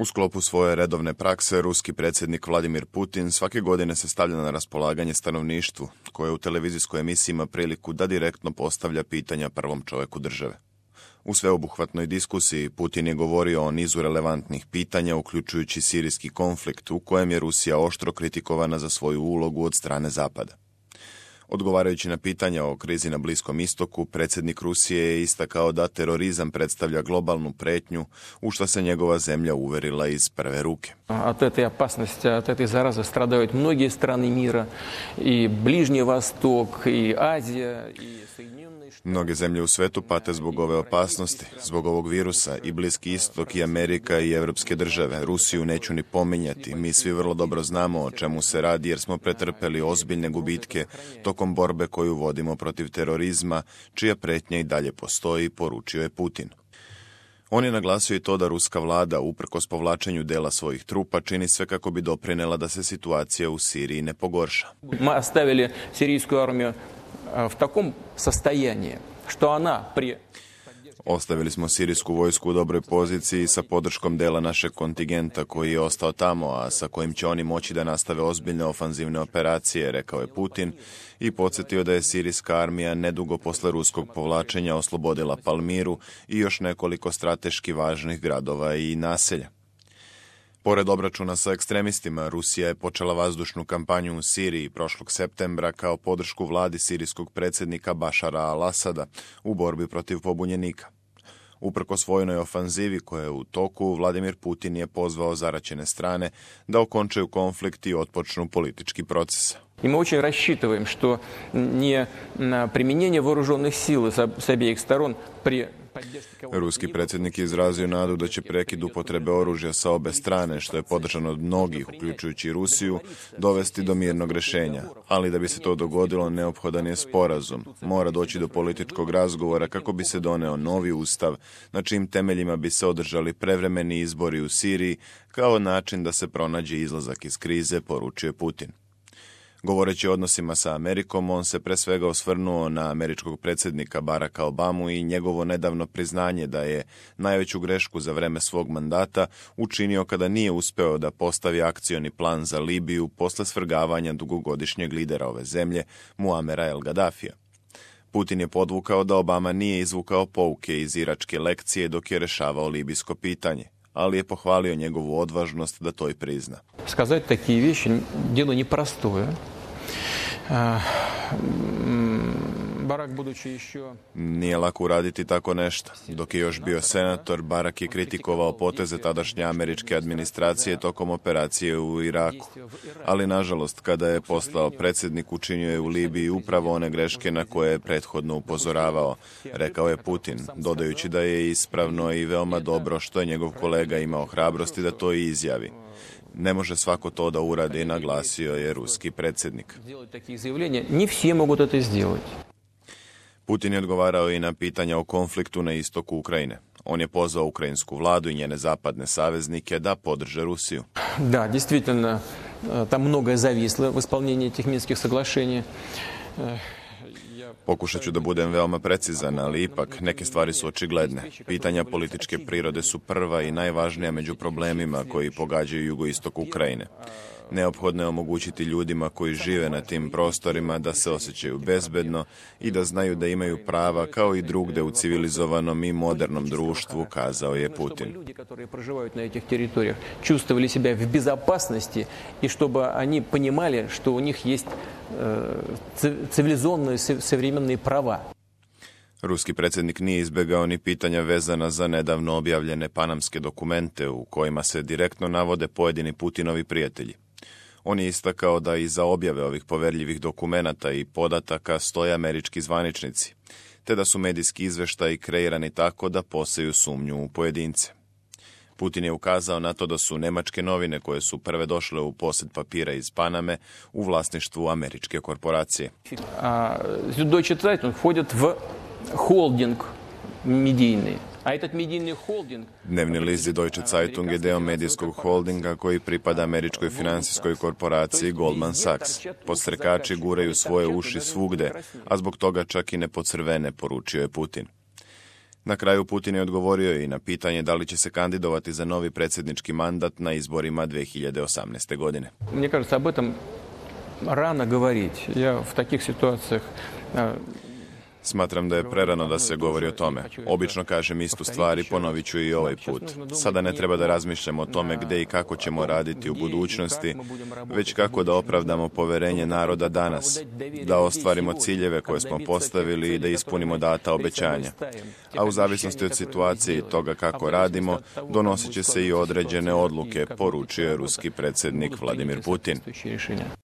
U sklopu svoje redovne prakse, ruski predsjednik Vladimir Putin svake godine se stavlja na raspolaganje stanovništvu, koje u televizijskoj emisiji ima priliku da direktno postavlja pitanja prvom čovjeku države. U sveobuhvatnoj diskusiji Putin je govorio o nizu relevantnih pitanja, uključujući sirijski konflikt, u kojem je Rusija oštro kritikovana za svoju ulogu od strane Zapada. Odgovarajući na pitanja o krizi na Bliskom istoku, predsjednik Rusije je istakao da terorizam predstavlja globalnu pretnju, u što se njegova zemlja uverila iz prve ruke. От этой опасности, от этой заразы страдают многие страны мира, и Ближний Восток, и Азия, и Соединенные Штаты. Mnoge zemlje u svetu pate zbog ove opasnosti, zbog ovog virusa, i Bliski istok, i Amerika, i evropske države. Rusiju neću ni pominjati, mi svi vrlo dobro znamo o čemu se radi jer smo pretrpeli ozbiljne gubitke tokom borbe koju vodimo protiv terorizma, čija pretnja i dalje postoji, poručio je Putin. On je naglasio i to da ruska vlada, uprkos povlačenju dela svojih trupa, čini sve kako bi doprinela da se situacija u Siriji ne pogorša. Мы оставили сирийскую армию в таком состоянии, что она при... Ostavili smo sirijsku vojsku u dobroj poziciji sa podrškom dela našeg kontingenta koji je ostao tamo, a sa kojim će oni moći da nastave ozbiljne ofanzivne operacije, rekao je Putin, i podsjetio da je sirijska armija nedugo posle ruskog povlačenja oslobodila Palmiru i još nekoliko strateški važnih gradova i naselja. Pored obračuna sa ekstremistima, Rusija je počela vazdušnu kampanju u Siriji prošlog septembra kao podršku vladi sirijskog predsjednika Bašara al-Asada u borbi protiv pobunjenika. Uprkos vojnoj ofanzivi koja je u toku, Vladimir Putin je pozvao zaraćene strane da okončaju konflikt i otpočnu politički proces. И мы очень рассчитываем, что не применение вооруженных сил с обеих сторон при поддержке... Ruski predsjednik je izrazio nadu da će prekid upotrebe oružja sa obe strane, što je podržano od mnogih, uključujući i Rusiju, dovesti do mirnog rješenja. Ali da bi se to dogodilo, neophodan je sporazum. Mora doći do političkog razgovora kako bi se doneo novi ustav, na čijim temeljima bi se održali prevremeni izbori u Siriji, kao način da se pronađe izlazak iz krize, poručuje Putin. Govoreći o odnosima sa Amerikom, on se pre svega osvrnuo na američkog predsjednika Baracka Obamu i njegovo nedavno priznanje da je najveću grešku za vreme svog mandata učinio kada nije uspeo da postavi akcioni plan za Libiju posle svrgavanja dugogodišnjeg lidera ove zemlje, Muamera el Gaddafija. Putin je podvukao da Obama nije izvukao pouke iz iračke lekcije dok je rešavao libijsko pitanje, ali je pohvalio njegovu odvažnost da to i prizna. Сказать такие вещи – дело непростое. Барак, будучи еще... Nije lako uraditi tako nešto. Dok je još bio senator, Barak je kritikovao poteze tadašnje američke administracije tokom operacije u Iraku. Ali, nažalost, kada je postao predsjednik, učinio je u Libiji upravo one greške na koje je prethodno upozoravao, rekao je Putin, dodajući da je ispravno i veoma dobro što je njegov kolega imao hrabrosti da to i izjavi. Ne može svako to da uradi, naglasio je ruski predsjednik. Putin je odgovarao i na pitanja o konfliktu na istoku Ukrajine. On je pozvao ukrajinsku vladu i njene zapadne saveznike da podrže Rusiju. Da, действительно, там многое зависло в исполнении этих Минских соглашений. Pokušat ću da budem veoma precizan, ali ipak neke stvari su očigledne. Pitanja političke prirode su prva i najvažnija među problemima koji pogađaju jugoistok Ukrajine. Neophodno je omogućiti ljudima koji žive na tim prostorima da se osjećaju bezbedno i da znaju da imaju prava kao i drugde u civilizovanom i modernom društvu, kazao je Putin. Ljudi koji проживают на этих территориях чувствовали себя в безопасности и чтобы они понимали, что у них есть цивилизованные современные права. Ruski predsjednik nije izbjegao ni pitanja vezana za nedavno objavljene panamske dokumente u kojima se direktno navode pojedini Putinovi prijatelji. On je istakao da iza objave ovih poverljivih dokumenata i podataka stoje američki zvaničnici, te da su medijski izveštaji kreirani tako da poseju sumnju u pojedince. Putin je ukazao na to da su nemačke novine koje su prve došle u posjed papira iz Paname u vlasništvu američke korporacije. Deutsche Zeitung входит в холдинг медийный. A этот medijni holding... Dnevni list Deutsche Zeitung je deo medijskog holdinga koji pripada američkoj finansijskoj korporaciji Goldman Sachs. Podstrekači guraju svoje uši svugde, a zbog toga čak i ne pocrvene, poručio je Putin. Na kraju Putin je odgovorio i na pitanje da li će se kandidovati za novi predsjednički mandat na izborima 2018. godine. Мне кажется, об этом rano govoriti. Ja u takih situacijah Smatram da je prerano da se govori o tome. Obično kažem istu stvar i ponovit ću i ovaj put. Sada ne treba da razmišljamo o tome gdje i kako ćemo raditi u budućnosti, već kako da opravdamo poverenje naroda danas, da ostvarimo ciljeve koje smo postavili i da ispunimo data obećanja. A u zavisnosti od situacije i toga kako radimo, donosit će se i određene odluke, poručio je ruski predsjednik Vladimir Putin.